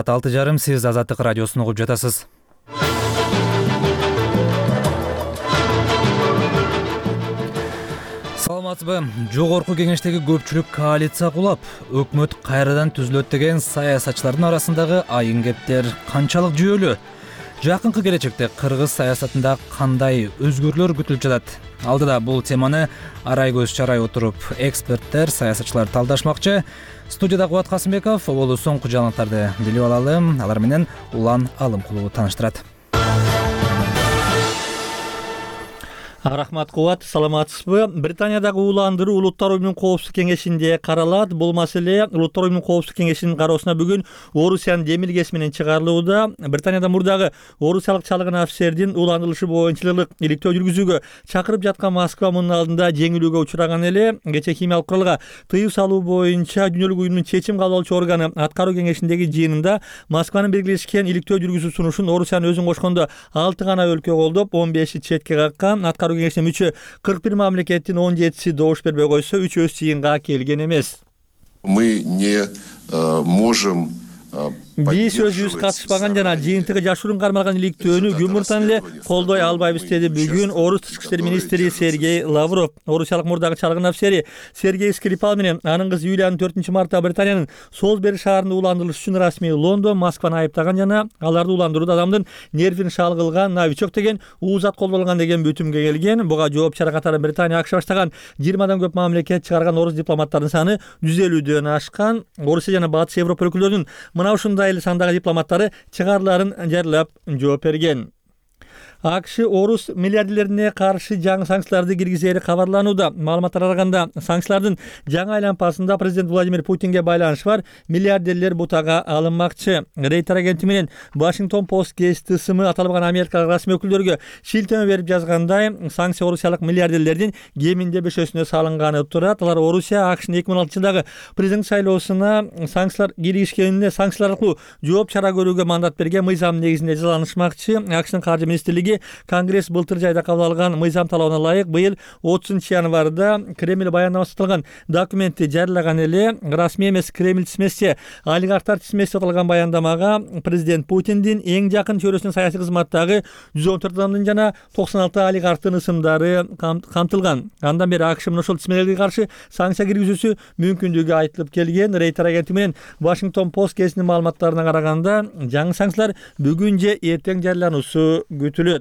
6:30 сиз Азаттык радиосун угуп жатасыз. Саламатсызбы? Жогорку кеңештеги көпчүлүк коалиция кулап, өкмөт кайрадан түзүлөт деген саясатчылардын арасындагы айын кептер канчалык жүйөлүү? Жакынкы келечекте кыргыз саясатында кандай өзгөрүүлөр күтүлүп жатат? Алдыда бул теманы арай көз чарай отуруп, эксперттер, саясатчылар талдашмакчы. Студияда Кубат Касымбеков болуу соңку жаңылыктарды билип алалы. Алар менен Улан Алымкулуу тааныштырат. Рахмат Кубат, саламатсызбы? Британиядагы ууландыруу Улуттар уюмунун коопсуздук кеңешинде каралат. Бул маселе Улуттар уюмунун коопсуздук кеңешинин кароосуна бүгүн Орусиянын демилгеси менен чыгарылууда. Британияда мурдагы орусиялык чалгын офицердин ууландырылышы боюнча иликтөө жүргүзүүгө чакырып жаткан Москва мунун алдында жеңилүүгө учураган эле. Кечээ химиялык куралга тыюу салуу боюнча Дүйнөлүк уюмдун чечим кабыл алуучу органы аткаруу кеңешиндеги жыйынында Москванын белгилешкен иликтөө жүргүзүү сунушун Орусиянын өзүн кошкондо 6 гана өлкө колдоп, 15 четке каккан. Кеңешине мүчө 41 мамлекеттин 17си добуш бербей койсо, 3 өз жыйынга келген эмес. Мы не можем Биз өзүбүз катышпаган жана жыйынтыгы жашыруун кармалган иликтөөнү күн эле колдой албайбыз деди бүгүн Орус тышкы иштер министри Сергей Лавров. Орусиялык мурдагы чалгын офицери Сергей Скрипал менен анын кызы Юлиянын 4-мартта Британиянын Солсбери шаарында ууландырылыш үчүн расмий Лондон Москваны айыптаган жана аларды ууландырууда адамдын нервин шалгылган новичок деген уузат колдонулган деген бүтүмгө келген. Буга жооп чара катары Британия АКШ баштаган 20 көп мамлекет чыгарган орус дипломаттарынын саны 150дөн ашкан. Орусия жана Батыш Европа өлкөлөрүнүн мына ушундай эле сандагы дипломаттары чыгарыларын жарыялап жооп берген. АКШ орус миллиардерлерине каршы жаңы санкцияларды киргизери кабарланууда. Маалыматтарга караганда, санкциялардын жаңы айланпасында президент Владимир Путинге байланышы бар миллиардерлер бутага алынмакчы. Рейтер агенти менен Washington Post гезити сымы аталган америкалык расмий өкүлдөргө шилтеме берип жазгандай, санкция орусиялык миллиардерлердин кеминде 5-өсүнө салынганы турат. Алар Орусия АКШнын 2016-жылдагы президент шайлоосуна санкциялар киргизишкенине санкциялар аркылуу жооп чара көрүүгө мандат берген мыйзам негизинде жазаланышмакчы. АКШнын каржы министрлиги Конгресс былтыр жайда кабыл алган мыйзам талабына ылайык быйыл 30-январда Кремль баяндамасы аталган документти жарыялаган эле. Расмий эмес Кремль тизмеси, олигархтар тизмеси аталган баяндамага президент Путиндин эң жакын чөйрөсүнүн саясий кызматтагы 114 адамдын жана 96 олигархтын ысымдары камтылган. Андан бери АКШ ошол тизмелерге каршы санкция киргизүүсү мүмкүндүгү айтылып келген. Рейтер агенти менен Washington Post гезитинин маалыматтарына караганда, жаңы санкциялар бүгүн же эртең жарыялануусу күтүлөт.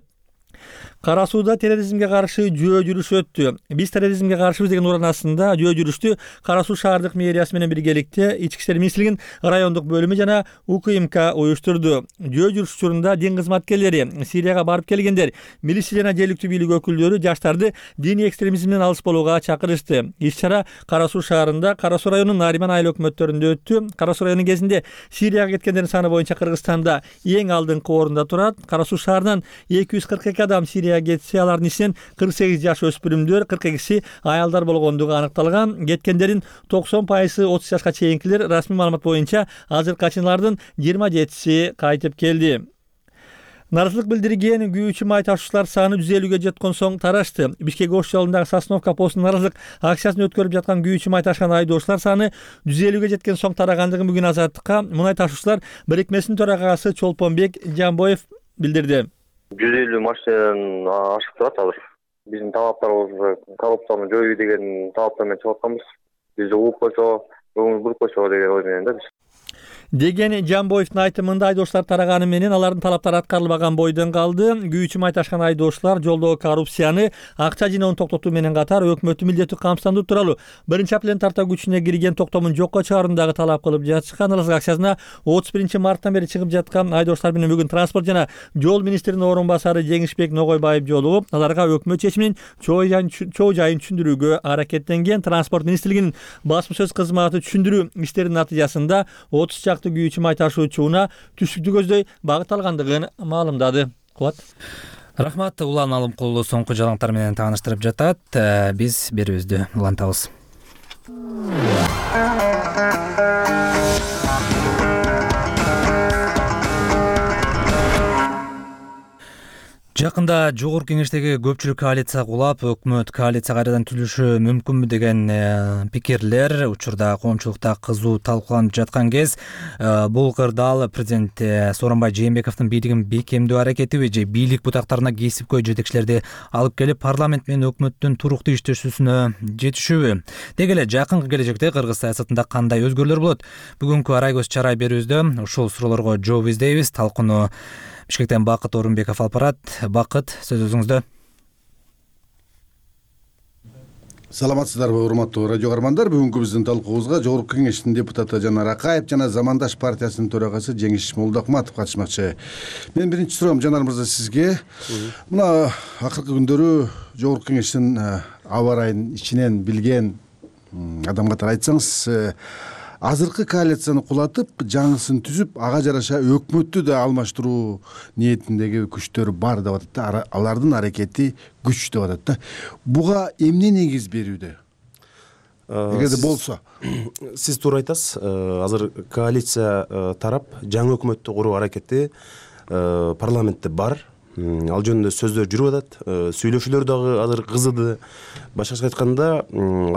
Кара сууда терроризмге каршы жөө жүрүш өттү. Биз терроризмге каршыбыз деген уран астында жөө жүрүштү Кара суу шаардык мэриясы менен биргеликте Ички иштер министрлигинин райондук бөлүмү жана УКМК уюштурду. Жөө жүрүш учурунда дин кызматкерлери, Сирияга барып келгендер, милиция жана жергиликтүү бийлик өкүлдөрү жаштарды диний экстремизмден алыс болууга чакырышты. Иш-чара Кара суу шаарында, Кара суу районунун Нариман айыл өкмөттөрүндө өттү. Кара суу районунун кезинде Сирияга кеткендердин саны боюнча Кыргызстанда эң алдыңкы орунда турат. Кара суу шаарынан 242 адам Сирияга кетсе, алардын ичинен 48 жаш өспүрүмдөр, 42си аялдар болгондугу аныкталган. Кеткендердин 90% 30 жашка чейинкилер. Расмий маалымат боюнча азыркыга чейин алардын 27си кайтып келди. Наразылык билдирген күйүүчү май ташуучулар саны 150ге жеткен соң тарашты. Бишкек-Ош жолундагы Сосновка постунун наразылык акциясын өткөрүп жаткан күйүүчү май ташкан айдоочулар саны 150ге жеткен соң тарагандыгын бүгүн Азаттыкка мунай ташуучулар бирикмесинин төрагасы Чолпонбек Жамбоев билдирди. 150 машинадан ашып турат азыр. Биздин талаптарыбыз коррупцияны жоюу деген талаптар менен чыгып атканбыз. Бизди угуп койсо, өңүн буруп койсо деген ой менен да биз. Деген Жамбоевдин айтымында айдоочулар тараганы менен алардын талаптары аткарылбаган бойдон калды. Күйүүчү май ташкан айдоочулар жолдогу коррупцияны, акча жыноонун токтотуу менен катар өкмөттүн милдеттүү камсыздандыруу тууралуу 1-апрелден тарта күчүнө кирген токтомун жокко чыгаруундагы талап кылып жатышкан. Наразылык акциясына 31-марттан бери чыгып жаткан айдоочулар менен бүгүн транспорт жана жол министринин орун басары Жеңишбек Ногойбаев жолугуп, аларга өкмөт чечиминин чоо жайын түшүндүрүүгө аракеттенген. Транспорт министрлигинин басма сөз кызматы түшүндүрүү иштеринин натыйжасында 30 күйүүчү май ташуучуна түштүктү көздөй багыт алгандыгын маалымдады. Кубат. Рахмат, Улан Алымкулуу соңку жаңылыктар менен тааныштырып жатат. Биз берүүбүздү улантабыз. Жакында жогорку кеңештеги көпчүлүк коалиция кулап, өкмөт коалиция кайрадан түзүлүшү мүмкүнбү деген пикирлер учурда коомчулукта кызуу талкууланып жаткан кез, бул кырдаал президент Сооронбай Жээнбековдун бийлигин бекемдөө аракетиби же бийлик бутактарына кесипкөй жетекчилерди алып келип парламент менен өкмөттүн туруктуу иштешүүсүнө жетишүүбү? Деги эле жакынкы келечекте кыргыз саясатында кандай өзгөрүүлөр болот? Бүгүнкү Арай көз чарай берүүбүздө ушул суроолорго жооп издейбиз. Талкууну Бишкектен Бакыт Орунбеков алып барат. Бакыт, сөз өзүңүздө. Саламатсыздарбы, урматтуу радио каармандар. Бүгүнкү биздин талкуубузга Жогорку Кеңештин депутаты Жанар Акаев жана Замандаш партиясынын төрагасы Жеңиш Молдохматов катышмакчы. Мен биринчи суроом Жанар мырза сизге. Мына акыркы күндөрү Жогорку Кеңештин аба ырайын ичинен билген адам катары айтсаңыз, азыркы коалицияны кулатып, жаңысын түзүп, ага жараша өкмөттү да алмаштыруу ниетиндеги күчтөр бар деп атат да, алардын аракети күч деп атат да. Буга эмне негиз берүүдө? Эгерде болсо. Сиз туура айтасыз. Азыр коалиция тарап жаңы өкмөттү куруу аракети парламентте бар. Ал жөнүндө сөздөр жүрүп атат. Сүйлөшүүлөр дагы азыр кызыды. Башкача айтканда,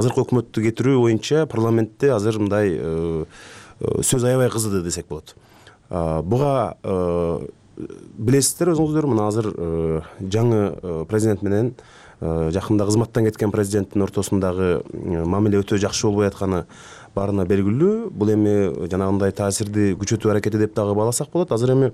азыркы өкмөттү кетирүү боюнча парламентте азыр мындай сөз аябай кызыды десек болот. Буга билесиздер өзүңүздөр, мына азыр жаңы президент менен жакында кызматтан кеткен президенттин ортосундагы мамиле өтө жакшы болбой атканы баарына белгилүү. Бул эми жанагындай таасирди күчөтүү аракети деп дагы бааласак болот. Азыр эми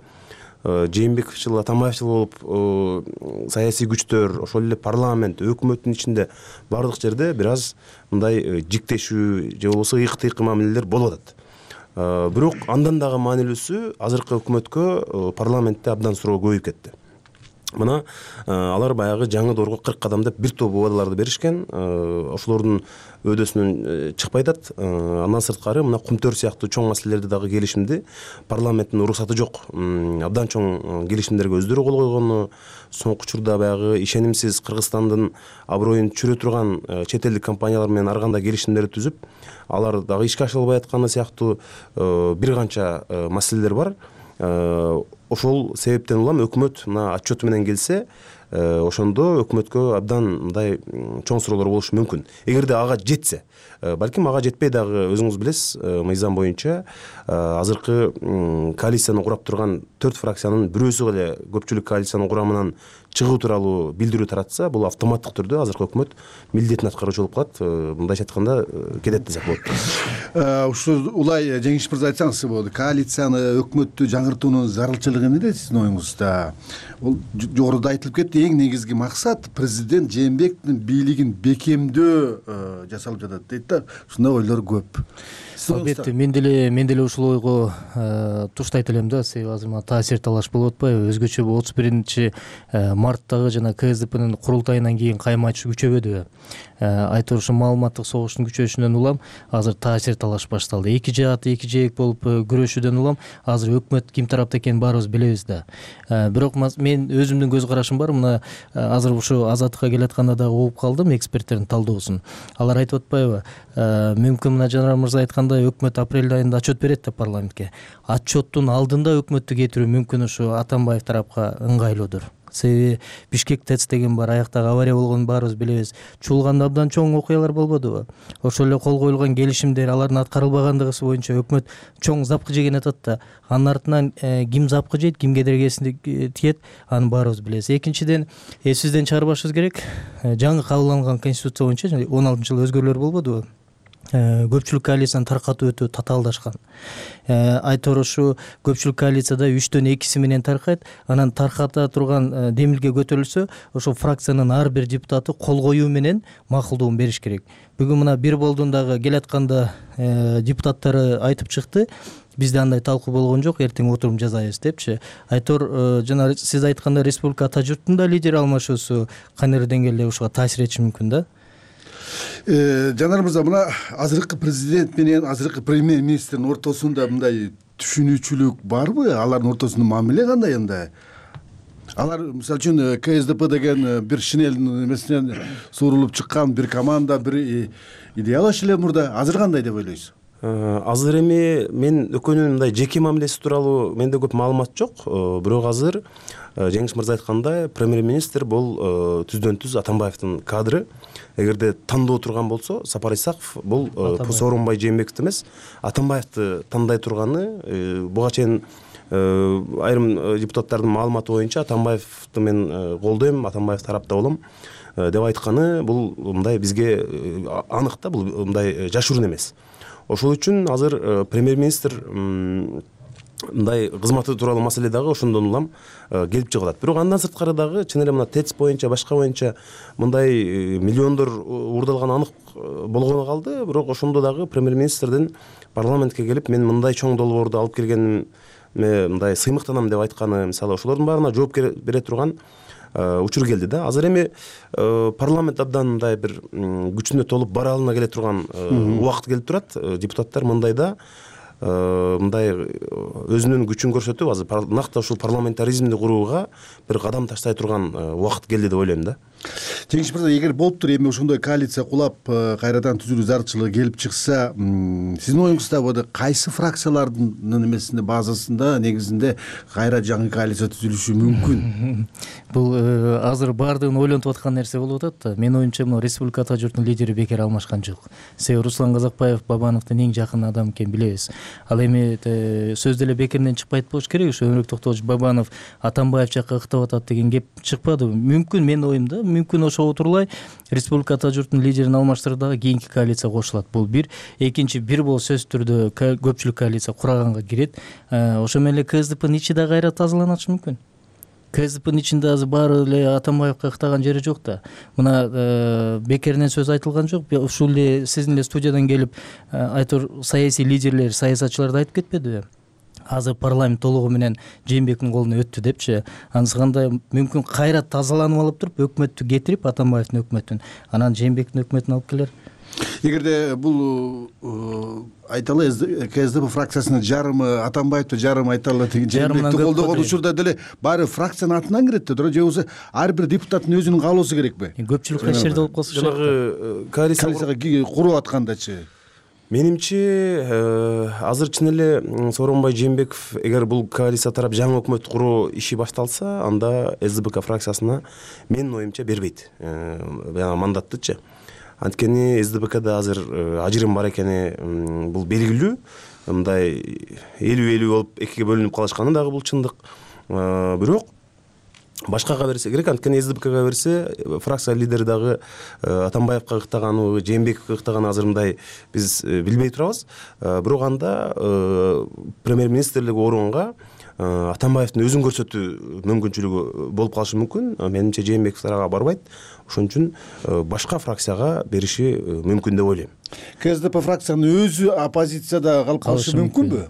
Жээнбековчул, Атамбаевчул болуп саясий күчтөр, ошол эле парламент, өкмөттүн ичинде бардык жерде бир аз мындай жиктешүү же болбосо ыйык-тыйык мамилелер болуп атат. Бирок андан дагы маанилүүсү, азыркы өкмөткө парламентте абдан суроо көбөйүп кетти. Мына алар баягы жаңы доорго 40 кадам деп бир топ убадаларды беришкен. Ошолордун өйдөсүнөн чыкпай атат. Андан сырткары мына кумтөр сыяктуу чоң маселелерди дагы келишимди парламенттин уруксаты жок абдан чоң келишимдерге өздөрү кол койгону, соңку учурда баягы ишенимсиз Кыргызстандын аброюн чүрө турган чет элдик компаниялар менен ар кандай келишимдерди түзүп, алар дагы ишке ашырылбай атканы сыяктуу бир канча маселелер бар. Ошол себептен улам өкмөт мына отчету менен келсе, ошондо өкмөткө абдан мындай чоң суроолор болушу мүмкүн. Эгерде ага жетсе, балким ага жетпей дагы өзүңүз билесиз, мыйзам боюнча азыркы коалицияны курап турган 4 фракциянын бирөөсү эле көпчүлүк коалициянын курамынан чыгуу тууралуу билдирүү таратса, бул автоматтык түрдө азыркы өкмөт милдетин аткаруучу болуп калат. Мындайча айтканда кетет десек болот. Ушул улай Жеңиш мырза айтсаңыз болот. Коалицияны, өкмөттү жаңыртуунун зарылчылыгы эмнеде сиздин оюңузда? Ол жогоруда айтылып кетти, эң негизги максат президент Жээнбековдун бийлигин бекемдөө жасалып жатат дейт да. Ушундай ойлор көп. Албетте, мен деле ушул ойго туштайт элем да. Себеби азыр мына таасир талаш болуп атпайбы? Өзгөчө 31 марттагы жана КСДПнын курултайынан кийин кайма айтыш күчөбөдүбү? Айтор ушу маалыматтык согуштун күчөшүнөн улам азыр таасир талаш башталды. Эки жаат, эки жээк болуп күрөшүүдөн улам азыр өкмөт ким тарапта экенин баарыбыз билебиз да. Бирок мен өзүмдүн көз карашым бар. Мына азыр ушу азаттыкка келатканда дагы угуп калдым эксперттердин талдоосун. Алар айтып атпайбы? Мүмкүн мына Жанар мырза айткандай өкмөт апрель айында отчет берет да парламентке. Отчеттун алдында өкмөттү кетирүү мүмкүн ушу Атамбаев тарапка ыңгайлуудур. Себеби Бишкек ТЭЦ деген бар, аяктагы авария болгонун баарыбыз билебиз. Чуулганда абдан чоң окуялар болбодубу? Ошол эле кол коюлган келишимдер, алардын аткарылбагандыгысы боюнча өкмөт чоң запкы жеген атат да. Анын артынан ким запкы жейт, кимге дергесин тиет, аны баарыбыз билебиз. Экинчиден, эсибизден чыгарбашыбыз керек. Жаңы кабылган конституция боюнча 16-жылы өзгөрүүлөр болбодубу? Көпчүлүк коалицияны таркатуу өтө татаалдашкан. Айтор ушу көпчүлүк коалицияда 3-төн 2 менен таркайт. Анан тарката турган демилге көтөрүлсө, ошо фракциянын ар бир депутаты кол коюу менен макулдугун бериш керек. Бүгүн мына бир болдундагы келатканда депутаттары айтып чыкты. Бизде андай талкуу болгон жок, эртең отуруп жазайбыз депчи. Айтор жана сиз айткандай республика ата журттун да лидер алмашуусу кайнар деңгээлде ушуга таасир этиши мүмкүн да. Жанар мырза, мына азыркы президент менен азыркы премьер-министрдин ортосунда мындай түшүнүүчүлүк барбы? Алардын ортосунда мамиле кандай анда? Алар мисалы үчүн КСДП деген бир шинель эмесинен суурулуп чыккан бир команда, бир идеялаш эле мурда. Азыр кандай деп ойлойсуз? Азыр эми мен экөөнүн мындай жеке мамилеси тууралуу менде көп маалымат жок. Бирок азыр Жеңиш мырза айткандай, премьер-министр бул түздөн түз Атамбаевдин кадры. Эгерде тандоо турган болсо, Сапар Исаков бул Сооронбай Жээнбековду эмес, Атамбаевди тандай турганы. Буга чейин айрым депутаттардын маалыматы боюнча Атамбаевди мен колдойм, Атамбаев тарапта болом деп айтканы бул мындай бизге анык да, бул мындай жашыруун эмес. Ошол үчүн азыр премьер-министр мындай кызматы тууралуу маселе дагы ошондон улам келип чыгып атат. Бирок андан сырткары дагы чын эле мына ТЭЦ боюнча, башка боюнча мындай миллиондор уурдалганы анык болгону калды. Бирок ошондо дагы премьер-министрдин парламентке келип мен мындай чоң долбоорду алып келгениме мындай сыймыктанам деп айтканы, мисалы ошолордун баарына жооп бере турган учур келди да. Азыр эми парламент абдан мындай бир күчүнө толуп баралына келе турган убакыт келип турат. Депутаттар мындайда мындай өзүнүн күчүн көрсөтүп, азыр накта ушул парламентаризмди курууга бир кадам таштай турган убакыт келди деп ойлойм да. Жеңиш мырза, эгер болуптур эми ошондой коалиция кулап кайрадан түзүлүү зарылчылыгы келип чыкса, сиздин оюңузда кайсы фракциялардын эмесинде, базасында негизинде кайра жаңы коалиция түзүлүшү мүмкүн? Бул азыр баардыгын ойлонуп аткан нерсе болуп атат да. Менин оюмча, мына Республика Ата журтунун лидери бекер алмашкан жок. Себеби Руслан Казакбаев Бабановдун эң жакын адамы экенин билебиз. Ал эми сөз деле бекеринен чыкпайт болуш керек. Ошо Өмүрбек Токтогулович Бабанов Атамбаев жакка ыктап атат деген кеп чыкпады. Мүмкүн, менин оюмда, мүмкүн ошого турулай Республика Ата журтунун лидерин алмаштырып дагы кийинки коалиция кошулат. Бул бир. Экинчи, бир болуп сөзсүз түрдө көпчүлүк коалиция кураганга кирет. Ошо менен эле КСДПнын ичи да кайра тазаланышы мүмкүн. КСДПнын ичинде азыр баары эле Атамбаевка ыктаган жери жок да. Мына бекеринен сөз айтылган жок. Ушул эле сиздин эле студиядан келип айтор саясий лидерлер, саясатчылар да айтып кетпедиби? Азыр парламент толугу менен Жээнбековдун колуна өттү депчи. Анысы кандай мүмкүн кайра тазаланып алып туруп өкмөттү кетирип, Атамбаевдин өкмөтүн, анан Жээнбековдун өкмөтүн алып келер. Эгерде бул айталы КСДП фракциясынын жарымы Атамбаевди, жарымы айталы Жээнбековду колдогон учурда деле баары фракциянын атынан кирет да, же болбосо ар бир депутаттын өзүнүн каалоосу керекпи? Көпчүлүк кайсы жерде болуп калса, жанагы коалицияга куруп аткандачы. Менимче азыр чын эле Сооронбай Жээнбеков эгер бул коалиция тарап жаңы өкмөт куруу иши башталса, анда СДПК фракциясына менин оюмча бербейт мандаттычы. Анткени СДПКда азыр ажырым бар экени бул белгилүү. Мындай 50-50 болуп экиге бөлүнүп калышканы дагы бул чындык. Бирок башкага берсе керек, анткени СДПКга берсе фракция лидери дагы Атамбаевка ыктаганыбы, Жээнбековго ыктаганын азыр мындай биз билбей турабыз. Бирок анда премьер-министрлик орунга Атамбаевдин өзүн көрсөтүү мүмкүнчүлүгү болуп калышы мүмкүн. Менимче Жээнбеков тарага барбайт. Ошон үчүн башка фракцияга бериши мүмкүн деп ойлойм. КСДП фракциянын өзү оппозицияда калып калышы мүмкүнбү?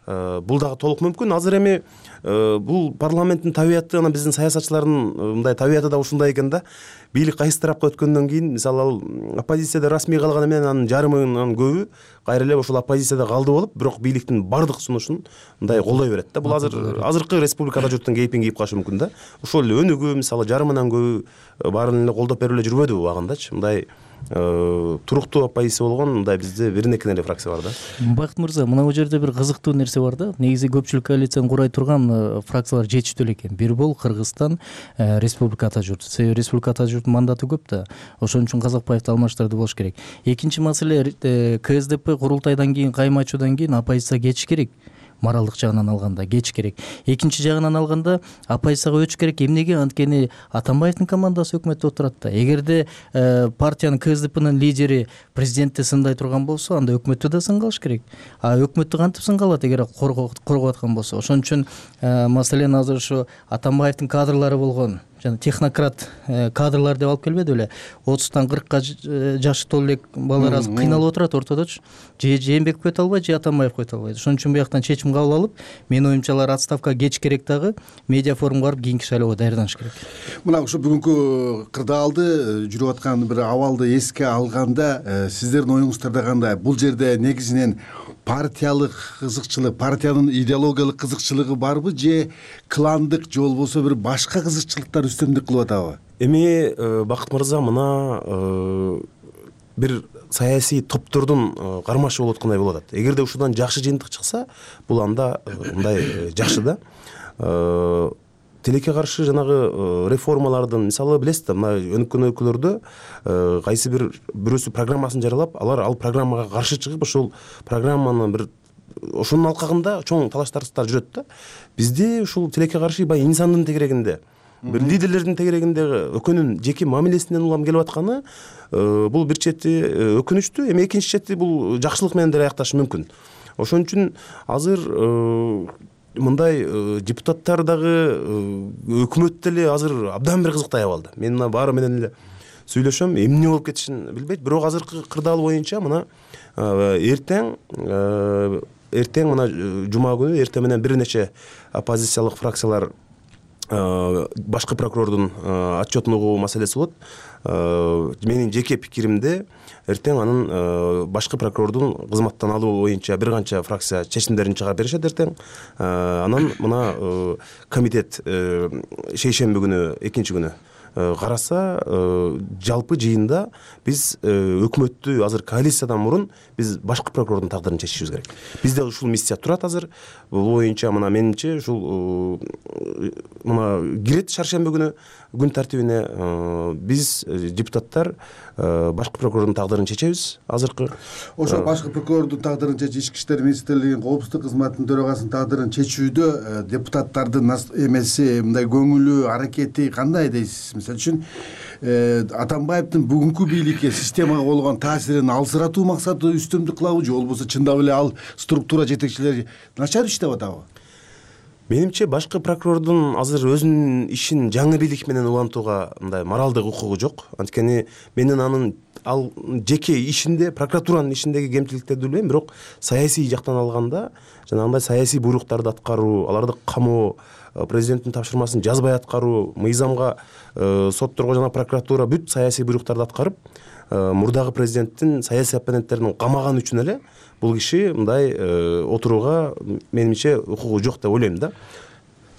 Бул дагы толук мүмкүн. Азыр эми бул парламенттин табияты, анан биздин саясатчылардын мындай табияты да ушундай экен да. Бийлик кайсы тарапка өткөндөн кийин, мисалы ал оппозицияда расмий калганы менен анын жарымынан көбү кайра эле ошол оппозицияда калды болуп, бирок бийликтин бардык сунушун мындай колдой берет да. Бул азыркы Республикада журттун кейпин кийип калышы мүмкүн да. Ошол эле өнүгүү, мисалы жарымынан көбү баарын эле колдоп берип эле жүрбөдүбү убагындачы. Мындай туруктуу оппозиция болгон мындай бизде биринекин эле фракция бар да. Бакыт мырза, мына бул жерде бир кызыктуу нерсе бар да. Негизи көпчүлүк коалицияны курай турган фракциялар жетиштүү эле экен. Бир бул Кыргызстан, Республика Ата журт. Себеби Республика Ата журттун мандаты көп да. Ошон үчүн Казакбаевди алмаштырды болуш керек. Экинчи маселе, КСДП курултайдан кийин, кайма ачуудан кийин оппозиция кетиш керек. Моралдык жагынан алганда кетиш керек. Экинчи жагынан алганда оппозицияга өтүш керек. Эмнеге? Анткени Атамбаевдин командасы өкмөттө отурат да. Эгерде партиянын КСДПнын лидери президентти сындай турган болсо, анда өкмөттү да сынгалыш керек. Өкмөттү кантип сынгалат эгер коргоп аткан болсо? Ошон үчүн маселен азыр ушу Атамбаевдин кадрлары болгон жана технократ кадрлар деп алып келбеди беле, 30-тан 40-ка жашы толуу элек балдар азыр кыйналып отурат ортодочу. Же Жээнбеков өтө албайт, же Атамбаев өтө албайт. Ошон үчүн бияктан чечим кабыл алып, менин оюмча алар отставкага кетиш керек дагы, медиа форумга барып кийинки шайлоого даярданыш керек. Мына ушу бүгүнкү кырдаалды жүрүп аткан бир абалды эске алганда, сиздердин оюңуздарда кандай? Бул жерде негизинен партиялык кызыкчылык, партиянын идеологиялык кызыкчылыгы барбы, же кландык, же болбосо бир башка кызыкчылыктар үстөмдүк кылып атабы? Эми Бакыт мырза, мына бир саясий топтордун кармашы болуп аткандай болуп атат. Эгерде ушудан жакшы жыйынтык чыкса, бул анда мындай жакшы да. Тилекке каршы жанагы реформалардын мисалы билесиз да, мына өнүккөн өлкөлөрдө кайсы бирөөсү программасын жарыялап, алар ал программага каршы чыгып, ошол программаны бир ошонун алкагында чоң талаш-тартыштар жүрөт да. Бизде ушул тилекке каршы баягы инсандын тегерегинде, бир лидерлердин тегерегинде өкөнүн жеке мамилесинен улам келип атканы бул бир чети өкүнүчтүү, эми экинчи чети бул жакшылык менен деле аякташы мүмкүн. Ошон үчүн азыр мындай депутаттар дагы өкмөт деле азыр абдан бир кызыктай абалда. Мен мына баары менен эле сүйлөшөм, эмне болуп кетишин билбейт. Бирок азыркы кырдаал боюнча мына эртең мына жума күнү эртең менен бир нече оппозициялык фракциялар башкы прокурордун отчетун угуу маселеси болот. Менин жеке пикиримде эртең анын башкы прокурордун кызматтан алуу боюнча бир канча фракция чечимдерин чыгарып беришет эртең. Анан мына комитет шейшемби күнү, экинчи күнү караса, жалпы жыйында биз өкмөттү азыр коалициядан мурун биз башкы прокурордун тагдырын чечишибиз керек. Бизде ушул миссия турат азыр. Бул боюнча мына менимче ушул мына кирет шаршемби күнү күн тартибине биз депутаттар башкы прокурордун тагдырын чечебиз азыркы. Ошол башкы прокурордун тагдырын чечүү, Ички иштер министрлигинин коопсуздук кызматынын төрагасынын тагдырын чечүүдө депутаттардын эмеси, мындай көңүлү, аракети кандай дейсиз? Мисалы үчүн Атамбаевдин бүгүнкү бийликке, системага болгон таасирин алсыратуу максаты үстөмдүк кылабы же болбосо чындап эле ал структура жетекчилери начар иштеп атабы? Менимче башкы прокурордун азыр өзүнүн ишин жаңы бийлик менен улантууга мындай моралдык укугу жок. Анткени менин анын ал жеке ишинде, прокуратуранын ишиндеги кемчиликтерди билбейм, бирок саясий жактан алганда жанагындай саясий буйруктарды аткаруу, аларды камоо, президенттин тапшырмасын жазбай аткаруу, мыйзамга, сотторго жана прокуратура бүт саясий буйруктарды аткарып, мурдагы президенттин саясий оппоненттерин камаган үчүн эле бул киши мындай отурууга менимче укугу жок деп ойлойм да.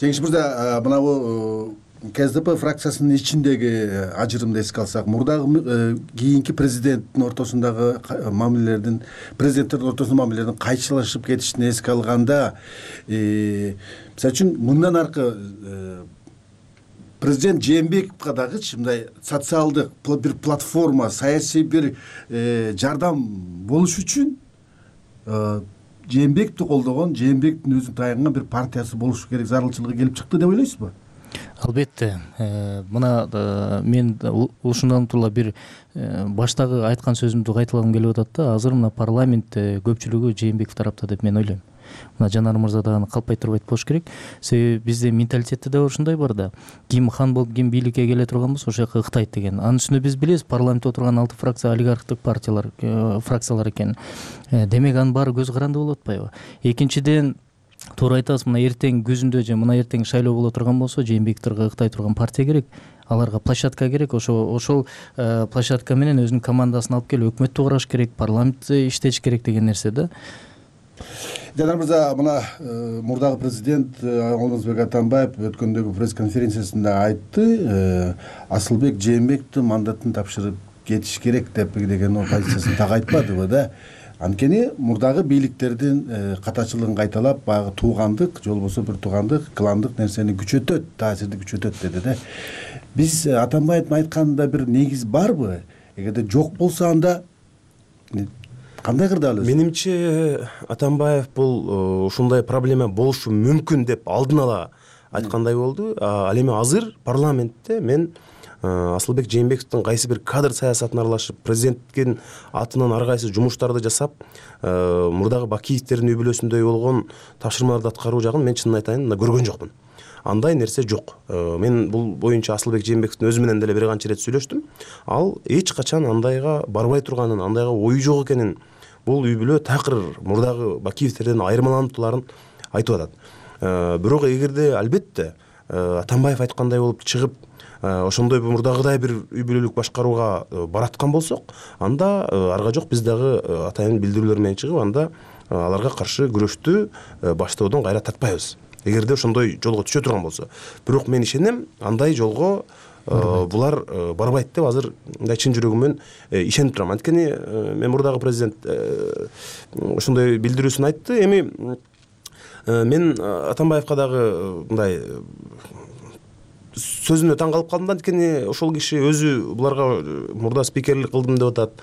Жеңиш мырза, мына бул КСДП фракциясынын ичиндеги ажырымды эске алсак, мурдагы кийинки президенттин ортосундагы мамилелердин, президенттердин ортосундагы мамилелердин кайчылашып кетишин эске алганда, мисалы үчүн мындан аркы президент Жээнбековго дагычы мындай социалдык бир платформа, саясий бир жардам болуш үчүн Жээнбековду колдогон, Жээнбековдун өзүн таянган бир партиясы болуш керек зарылчылыгы келип чыкты деп ойлойсузбу? Албетте, мына мен ушундан тула бир баштагы айткан сөзүмдү кайталагым келип атат да. Азыр мына парламентте көпчүлүгү Жээнбеков тарапта деп мен ойлойм. Мына Жанар мырза да аны калпай турбайт болуш керек. Себеби бизде менталитетте да ушундай бар да. Ким хан болуп, ким бийликке келе турган болсо ошол жака ыктайт деген. Анын үстүнө биз билебиз, парламентте отурган 6 фракция олигархтык партиялар, фракциялар экен. Демек анын баары көз каранды болуп атпайбы? Экинчиден, туура айтасыз, мына эртең күзүндө же мына эртең шайлоо боло турган болсо, Жээнбековторго ыктай турган партия керек. Аларга площадка керек. Ошол площадка менен өзүнүн командасын алып келип өкмөттү кураш керек, парламентте иштеш керек деген нерсе да. Жанар мырза, мына мурдагы президент Алмазбек Атамбаев өткөндөгү пресс-конференциясында айтты, Асылбек Жээнбековдун мандатын тапшырып кетиш керек деп деген позициясын так айтпадыбы да. Анткени мурдагы бийликтердин катачылыгын кайталап, баягы туугандык, же болбосо бир туугандык, кландык нерсени күчөтөт, таасирди күчөтөт деди да. Биз Атамбаевдин айтканында бир негиз барбы? Эгерде жок болсо анда кандай кырдаал? Менимче Атамбаев бул ушундай проблема болушу мүмкүн деп алдын ала айткандай болду. Ал эми азыр парламентте мен Асылбек Жээнбековдун кайсы бир кадр саясатына аралашып, президенттин атынан ар кайсы жумуштарды жасап, мурдагы Бакиевдердин үй бүлөсүндөй болгон тапшырмаларды аткаруу жагын мен чынын айтайын, көргөн жокмун. Андай нерсе жок. Мен бул боюнча Асылбек Жээнбековдун өзү менен деле бир канча ирет сүйлөштүм. Ал эч качан андайга барбай турганын, андайга ою жок экенин, бул үй бүлө такыр мурдагы Бакиевдерден айырмалануптууларын айтып атат. Бирок эгерде албетте Атамбаев айткандай болуп чыгып, ошондой мурдагыдай бир үй бүлөлүк башкарууга бараткан болсок, анда арга жок биз дагы атайын билдирүүлөр менен чыгып, анда аларга каршы күрөштү баштоодон кайра тартпайбыз. Эгерде ошондой жолго түшө турган болсо. Бирок мен ишенем, андай жолго булар барбайт деп азыр мындай чын жүрөгүмөн ишенип турам. Анткени мен мурдагы президент ошондой билдирүүсүн айтты. Эми мен Атамбаевка дагы мындай сөзүнө таң калып калдым да, анткени ошол киши өзү буларга мурда спикерлик кылдым деп атат.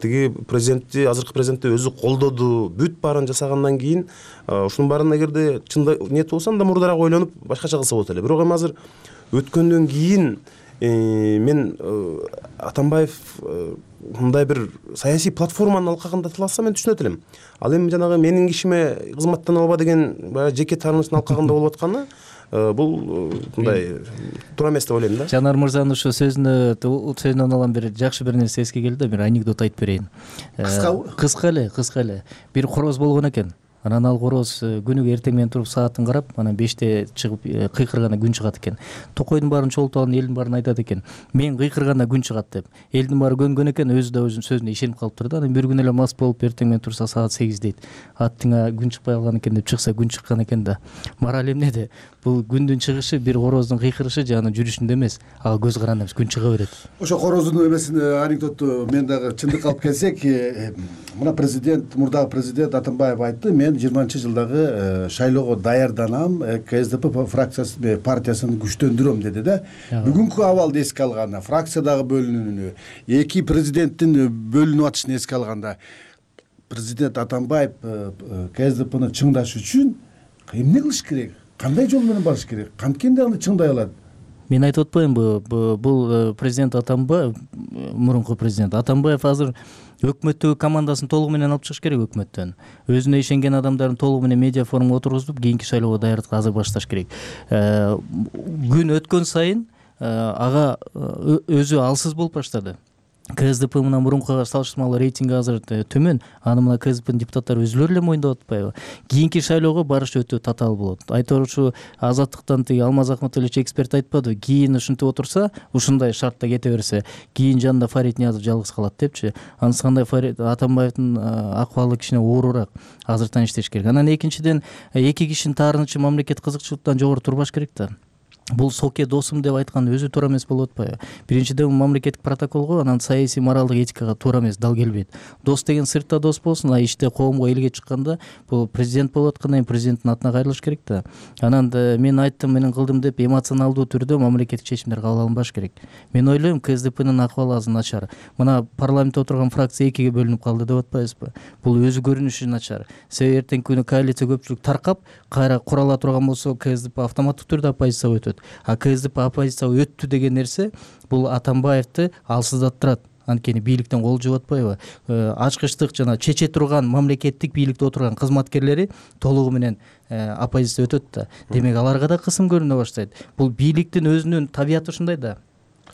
Тиги президентти, азыркы президентти өзү колдоду, бүт баарын жасагандан кийин ушунун баарын эгерде чында ниет болсо анда мурдараак ойлонуп башкача кылса болот эле. Бирок эми азыр өткөндөн кийин мен Атамбаев мындай бир саясий платформанын алкагында тиласа мен түшүнөт элем. Ал эми жанагы менин кишиме кызматтана алба деген баягы жеке таарынычтын алкагында болуп атканы бул мындай туура эмес деп ойлойм да. Жанар мырзанын ошо сөзүнөн алган бир жакшы бир нерсе эске келди да, бир анекдот айтып берейин. Кыска эле. Бир короз болгон экен. Анан ал короз күнүгө эртең менен туруп саатын карап, анан 5те чыгып кыйкырганда күн чыгат экен. Токойдун баарын чогултуп алган элдин баарын айтат экен. Мен кыйкырганда күн чыгат деп. Элдин баары көнгөн экен, өзү да өзүнүн сөзүнө ишенип калыптыр да. Анан бир күн эле мас болуп эртең менен турса саат 8 дейт. Аттыңа күн чыкпай калган экен деп чыкса күн чыккан экен да. Мораль эмнеде? Бул күндүн чыгышы бир короздун кыйкырышы же анын жүрүшүндө эмес, ага көз каранды эмес, күн чыга берет. Ошо короздун эмесин анекдотту мен дагы чындыкка алып келсек, мына президент, мурдагы президент Атамбаев айтты, мен 20-жылдагы шайлоого даярданам, КСДП фракциясы партиясын күчтөндүрөм деди да. Бүгүнкү абалды эске алганда, фракциядагы бөлүнүүнү, эки президенттин бөлүнүп атышын эске алганда, президент Атамбаев КСДПны чыңдаш үчүн эмне кылыш керек? Кандай жол менен барыш керек? Канткенде аны чыңдай алат? Мен айтып атпаймынбы, бул президент Атамбаев, мурунку президент Атамбаев азыр өкмөттөгү командасын толугу менен алып чыгыш керек өкмөттөн. Өзүнө ишенген адамдарын толугу менен медиа форумга отургузуп, кийинки шайлоого даярдыкка азыр башташ керек. Күн өткөн сайын ага өзү алсыз болуп баштады. КСДП менен мурункуга салыштырмалуу рейтинги азыр төмөн. Аны мына КСДПнын депутаттары өзүлөрү эле моюндап атпайбы? Кийинки шайлоого барыш өтө татаал болот. Айтор ушу Азаттыктан тиги Алмаз Ахматович эксперт айтпады, кийин ушинтип отурса, ушундай шартта кете берсе, кийин жанында Фарид Ниязов жалгыз калат депчи. Анысы кандай Атамбаевдин акыбалы кичине оорураак. Азыртан иштеш керек. Анан экинчиден, эки кишинин таарынычы мамлекет кызыкчылыктан жогору турбаш керек да. Бул соке досум деп айткан өзү туура эмес болуп атпайбы? Биринчиден мамлекеттик протоколго, анан саясий моралдык этикага туура эмес, дал келбейт. Дос деген сыртта дос болсун, а иште коомго элге чыкканда бул президент болуп аткандан кийин президенттин атына кайрылыш керек да. Анан мен айттым, менин кылдым деп эмоционалдуу түрдө мамлекеттик чечимдер кабыл алынбаш керек. Мен ойлойм, КСДПнын акыбалы азыр начар. Мына парламентте отурган фракция экиге бөлүнүп калды деп атпайбызбы? Бул өзү көрүнүшү начар. Себеби эртеңки күнү коалиция көпчүлүк таркап, кайра курала турган болсо, КСДП автоматтык түрдө оппозицияга өтөт. А КСДП оппозицияга өттү деген нерсе бул Атамбаевди алсыздаттырат. Анткени бийликтен кол жууп атпайбы? Ачкычтык жана чече турган мамлекеттик бийликте отурган кызматкерлери толугу менен оппозиция өтөт да. Демек аларга да кысым көрүнө баштайт. Бул бийликтин өзүнүн табияты ушундай да.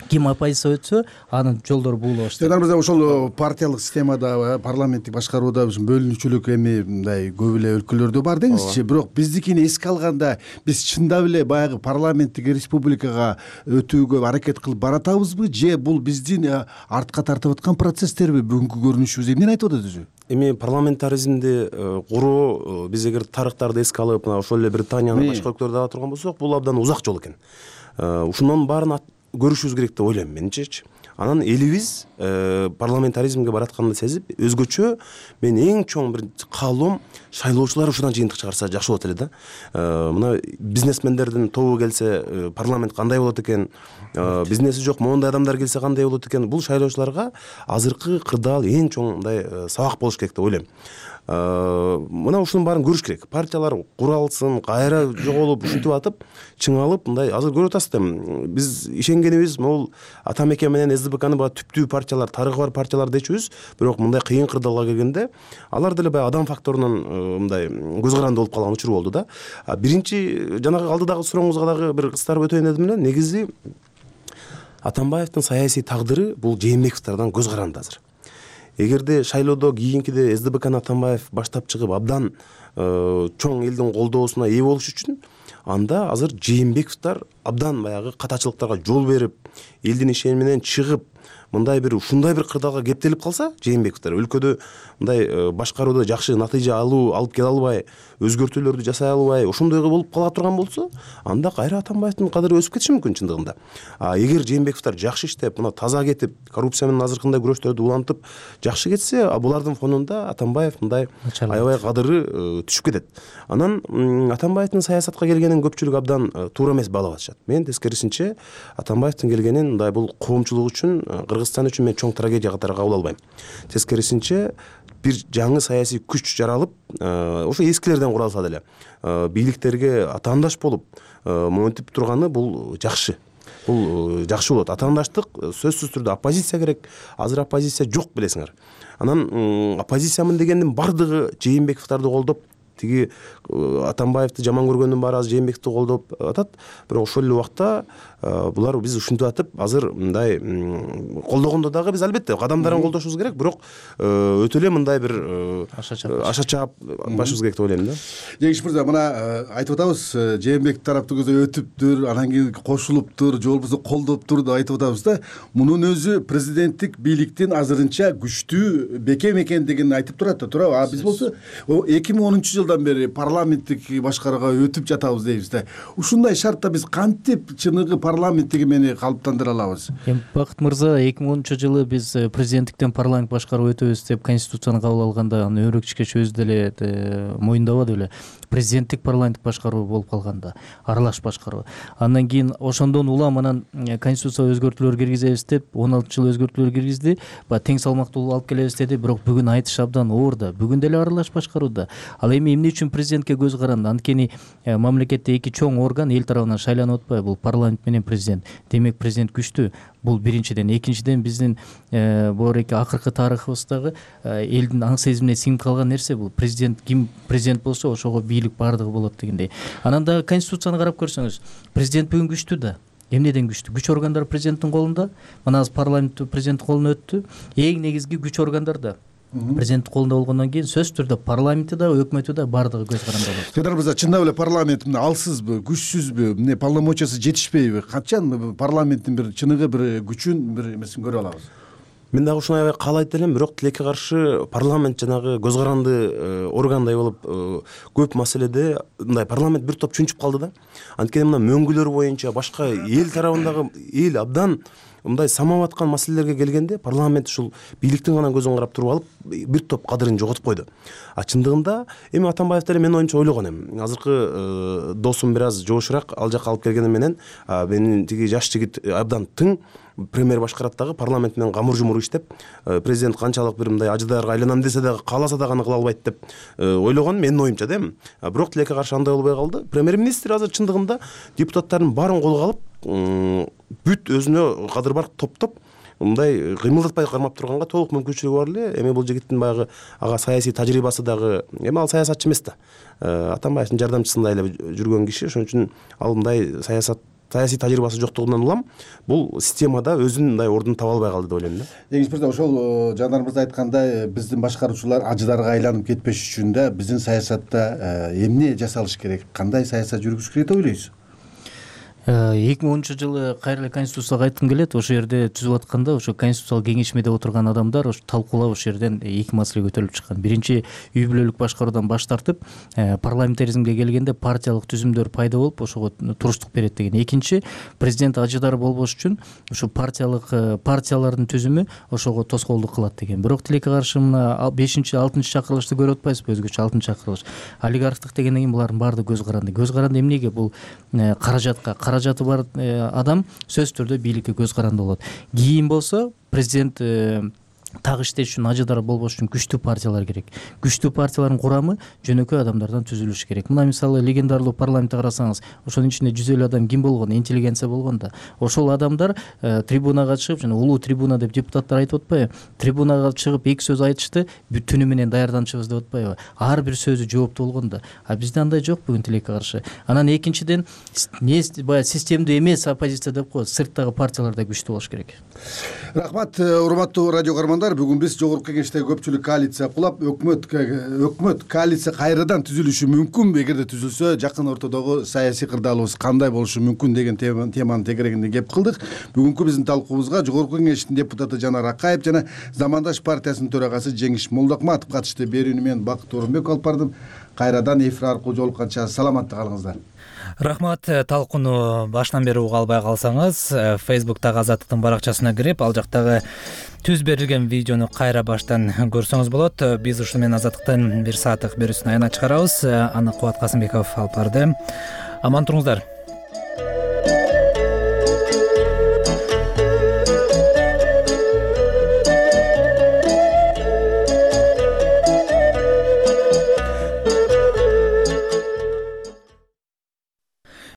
Ким оппозиция өтсө, анын жолдору буулай баштайт. Жанар мырза, ошол париялык системада, парламенттик башкарууда бөлүнүүчүлүк эми мындай көп эле өлкөлөрдө бар деңизчи. Бирок биздикини эске алганда, биз чындап эле баягы парламенттик республикага өтүүгө аракет кылып баратабызбы, же бул биздин артка тартып аткан процесстерби? Бүгүнкү көрүнүшүбүз эмнени айтып атат өзү? Эми парламентаризмди куруу, биз эгер тарыхтарды эске алып, мына ошол эле Британиянын башка өлкөлөрдө ала турган болсок, бул абдан узак жол экен. Ушунун баарын көрүшүбүз керек деп ойлойм менчичи. Анан элибиз парламентаризмге баратканды сезип, өзгөчө мен эң чоң бир каалоом шайлоочулар ушудан жыйынтык чыгарса жакшы болот эле да. Мына бизнесмендердин тобу келсе, парламент кандай болот экен, бизнеси жок моундай адамдар келсе кандай болот экен, бул шайлоочуларга азыркы кырдаал эң чоң мындай сабак болуш керек деп ойлойм. Мына ушунун баарын көрүш керек. Партиялар куралсын, кайра жоголуп, ушинтип атып, чыңалып, мындай азыр көрүп атасыздар. Биз ишенгенибиз могул Атамекен менен СДПКны баягы түптүү партиялар, тарыхы бар партиялар дечүбүз, бирок мындай кыйын кырдаалга келгенде алар деле баягы адам факторунан мындай көз каранды болуп калган учур болду да. Биринчи жанагы алдыдагы сурооңузга дагы бир кыстарып өтөйүн дедим эле. Негизи Атамбаевдин саясий тагдыры бул Жээнбековдордон көз каранды азыр. Эгерде шайлоодо кийинкиде СДПКны Атамбаев баштап чыгып абдан чоң элдин колдоосуна ээ болуш үчүн, анда азыр Жээнбековдор абдан баягы катачылыктарга жол берип, элдин ишени менен чыгып, мындай бир ушундай бир кырдаалга кептелип калса, Жээнбековдор өлкөдө мындай башкарууда жакшы натыйжа алып келе албай, өзгөртүүлөрдү жасай албай, ошондой болуп кала турган болсо, анда кайра Атамбаевдин кадыры өсүп кетиши мүмкүн чындыгында. Эгер Жээнбековдор жакшы иштеп, мына таза кетип, коррупция менен азыркындай күрөштөрдү улантып жакшы кетсе, булардын фонунда Атамбаев мындай аябай кадыры түшүп кетет. Анан Атамбаевдин саясатка келгенин көпчүлүк абдан туура эмес баалап атышат. Мен тескерисинче Атамбаевдин келгенин мындай бул коомчулук үчүн, Кыргызстан үчүн мен чоң трагедия катары кабыл албайм. Тескерисинче бир жаңы саясий күч жаралып, ошо эскилерден куралса деле бийликтерге атаандаш болуп монтип турганы бул жакшы. Бул жакшы болот. Атаандаштык сөзсүз түрдө оппозиция керек. Азыр оппозиция жок, билесиңер. Анан оппозициямын дегендин бардыгы Жээнбековдорду колдоп, тиги Атамбаевди жаман көргөндүн баары азыр Жээнбековду колдоп атат. Бирок ошол эле убакта булар биз ушинтип атып, азыр мындай колдогондо дагы биз албетте кадамдарын колдошубуз керек, бирок өтө эле мындай бир аша чаап башыбыз керек деп ойлойм да. Жеңиш мырза, мына айтып атабыз, Жээнбеков тараптын көзү өтүптүр, анан кийин кошулуптур, же болбосо колдоптур деп айтып атабыз да. Мунун өзү президенттик бийликтин азырынча күчтүү бекем экендигин айтып турат да, туурабы? Биз болсо 2010-жылдан бери парламенттик башкарууга өтүп жатабыз дейбиз да. Ушундай шартта биз кантип чыныгы парламенттик эмени калыптандыра алабыз? Бакыт мырза, 2010-жылы биз президенттиктен парламент башкаруу өтөбүз деп конституцияны кабыл алганда, аны Өрөкчүкеч өзү деле моюндабады беле. Президенттик парламенттик башкаруу болуп калганда, аралаш башкаруу. Андан кийин ошондон улам анан конституцияга өзгөртүүлөр киргизебиз деп 16-жыл өзгөртүүлөр киргизди. Тең салмактуулук алып келебиз деди, бирок бүгүн айтыш абдан оор да. Бүгүн деле аралаш башкарууда. Ал эми эмне үчүн президентке көз каранды? Анткени мамлекетте эки чоң орган эл тарабынан шайланып атпайбы? Бул парламент менен президент. Демек президент күчтүү. Бул биринчиден. Экинчиден биздин боореки акыркы тарыхыбыздагы элдин аң сезимине сиңип калган нерсе бул. Президент ким президент болсо, ошого бийлик бардыгы болот дегендей. Анан дагы конституцияны карап көрсөңүз, президент бүгүн күчтүү да. Эмнеден күчтүү? Күч органдары президенттин колунда. Мына азыр парламент президенттин колуна өттү. Эң негизги күч органдарда президенттин колунда болгондон кийин сөзсүз түрдө парламенти да, өкмөтү да бардыгы көз каранды болот. Жанар мырза, чындап эле парламент алсызбы, күчсүзбү, эмне полномочиясы жетишпейби? Качан парламенттин бир чыныгы бир күчүн бир эмесин көрө алабыз? Мен дагы ушуну аябай каалайт элем, бирок тилекке каршы парламент жанагы көз каранды органдай болуп көп маселеде мындай парламент бир топ чүнчүп калды да. Анткени мына мөңгүлөр боюнча башка эл тарабындагы эл абдан мындай самап аткан маселелерге келгенде парламент ушул бийликтин гана көзүн карап туруп алып бир топ кадырын жоготуп койду. Чындыгында эми Атамбаев деле мен оюмча ойлогон эми. Азыркы досум бир аз жошураак ал жака алып келгени менен менин тиги жаш жигит абдан тың премьер башкарат дагы парламент менен камыр-жумур иштеп, президент канчалык бир мындай ажыдарга айланам десе дагы, кааласа дагы аны кыла албайт деп ойлогон менин оюмча да эми. Бирок тилекке каршы андай болбой калды. Премьер-министр азыр чындыгында депутаттардын баарын колго алып, бүт өзүнө кадыр бар топтоп мындай кыймылдатпай кармап турганга толук мүмкүнчүлүгү бар эле. Эми бул жигиттин баягы ага саясий тажрыйбасы дагы, эми ал саясатчы эмес да. Атамбаевдин жардамчысындай эле жүргөн киши, ошон үчүн ал мындай саясий тажрыйбасы жоктугунан улам бул системада өзүнүн мындай ордун таба албай калды деп ойлойм да. Жеңиш мырза, ошол Жанар мырза айткандай, биздин башкаруучулар ажыдарга айланып кетпеш үчүн да биздин саясатта эмне жасалыш керек? Кандай саясат жүргүзүш керек деп ойлойсуз? 2010-жылы кайра эле конституцияга айткым келет. Ошол жерде түзүп атканда ошо конституциялык кеңешмеде отурган адамдар ошо талкуулап ошол жерден эки маселе көтөрүлүп чыккан. Биринчи, үй бүлөлүк башкаруудан баш тартып, парламентаризмге келгенде партиялык түзүмдөр пайда болуп, ошого туруштук берет деген. Экинчи, президент ажыдар болбош үчүн ошо партиялардын түзүмү ошого тоскоолдук кылат деген. Бирок тилекке каршы мына 5-6 чакырылышты көрүп атпайсызбы? Өзгөчө 6 чакырылыш. Олигархтык дегенден кийин булардын баардыгы көз каранды. Көз каранды эмнеге? Бул каражаты бар адам сөзсүз түрдө бийликке көз каранды болот. Кийин болсо президент так иштеш үчүн, ажыдар болбош үчүн күчтүү партиялар керек. Күчтүү партиялардын курамы жөнөкөй адамдардан түзүлүшү керек. Мына мисалы легендарлуу парламентти карасаңыз, ошонун ичинде 150 адам ким болгон? Интеллигенция болгон да. Ошол адамдар трибунага чыгып, жана улуу трибуна деп депутаттар айтып атпайбы? Трибунага чыгып эки сөз айтышты, түнү менен даярданчыбыз деп атпайбы? Ар бир сөзү жооптуу болгон да. Бизде андай жок бүгүн тилекке каршы. Анан экинчиден, баягы системдүү эмес оппозиция деп коет, сырттагы партиялар да күчтүү болуш керек. Рахмат, урматтуу радио көрөрмандар. көрөрмандар, бүгүн биз жогорку кеңештеги көпчүлүк коалиция кулап, өкмөт коалиция кайрадан түзүлүшү мүмкүнбү, эгерде түзүлсө жакын ортодогу саясий кырдаалыбыз кандай болушу мүмкүн деген теманын тегерегинде кеп кылдык. Бүгүнкү биздин талкуубузга жогорку кеңештин депутаты Жанар Акаев жана Замандаш партиясынын төрагасы Жеңиш Молдокматов катышты. Берүүнү мен Бакыт Орунбек алып бардым. Кайрадан эфир аркылуу жолукканча саламатта калыңыздар. Рахмат. Талкууну башынан бери уга албай калсаңыз, Facebook'тагы Азаттыктын баракчасына кирип, ал жактагы түз берилген видеону кайра баштан көрсөңүз болот. Биз ушуну менен Азаттыктын 1 сааттык берүүсүн аянат чыгарабыз. Аны Кубат Касымбеков алып барды. Аман туруңуздар.